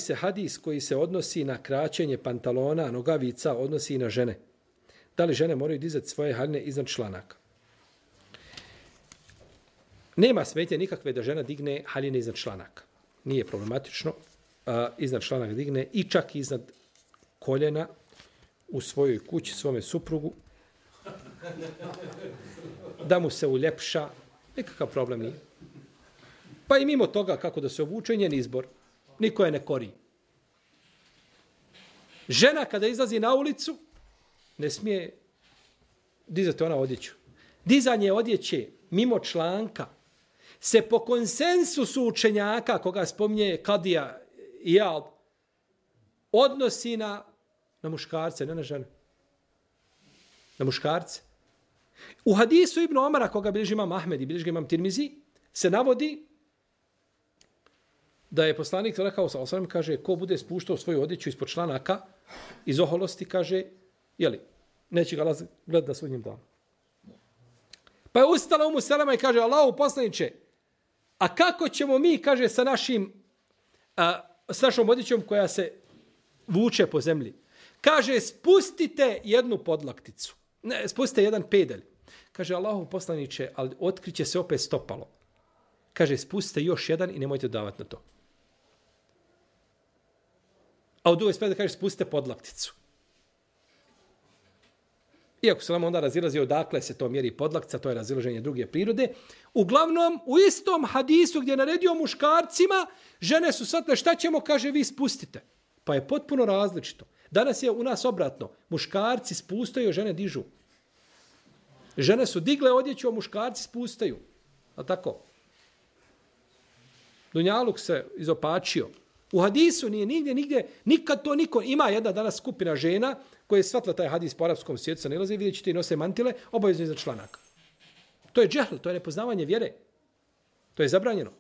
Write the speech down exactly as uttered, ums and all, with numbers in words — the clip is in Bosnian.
se hadis koji se odnosi na kraćenje pantalona, nogavica, odnosi i na žene? Da li žene moraju dizati svoje haljine iznad članaka? Nema smetnje nikakve da žena digne haljine iznad članaka. Nije problematično. A, iznad članaka digne i čak iznad koljena u svojoj kući, svome suprugu. Da mu se uljepša. Nikakav problem nije. Pa i mimo toga kako da se obuče, njen izbor. Niko je ne kori. Žena kada izlazi na ulicu, ne smije dizati ona odjeću. Dizanje odjeće mimo članka se po konsensusu učenjaka, koga spominje Kadija Iyad, odnosi na, na muškarce, ne na žene. Na muškarce. U hadisu Ibn Omara, koga bilježi imam Ahmed i bilježi imam Tirmizi, se navodi da je poslanik rekao sa osam, kaže, ko bude spuštao svoju odjeću ispod članaka, iz oholosti, kaže, jeli, neće ga gledati na sudnjem danu. Pa je ustala Umu Selema i kaže, Allahu poslaniče, a kako ćemo mi, kaže, sa našim, a, s našom odjećom koja se vuče po zemlji? Kaže, spustite jednu podlakticu. Ne, spustite jedan pedalj. Kaže, Allahu poslaniče, ali otkriće se opet stopalo. Kaže, spustite još jedan i nemojte davati na to. A u drugoj spred kaže, spustite podlakticu. Iako se nam onda razilazi odakle se to mjeri podlaktica, to je razilaženje druge prirode. Uglavnom, u istom hadisu gdje je naredio muškarcima, žene su sad, šta ćemo, kaže, vi spustite. Pa je potpuno različito. Danas je u nas obratno. Muškarci spustaju, žene dižu. Žene su digle odjeću, a muškarci spustaju. A tako? Dunjaluk se izopačio. U hadisu nije nigdje, nigdje, nikad to niko. Ima jedna danas skupina žena koja je shvatila taj hadis po arapskom svijetu, sa nilaze, vidjet ćete i nose mantile, obavezno iza članaka. To je džehl, to je nepoznavanje vjere. To je zabranjeno.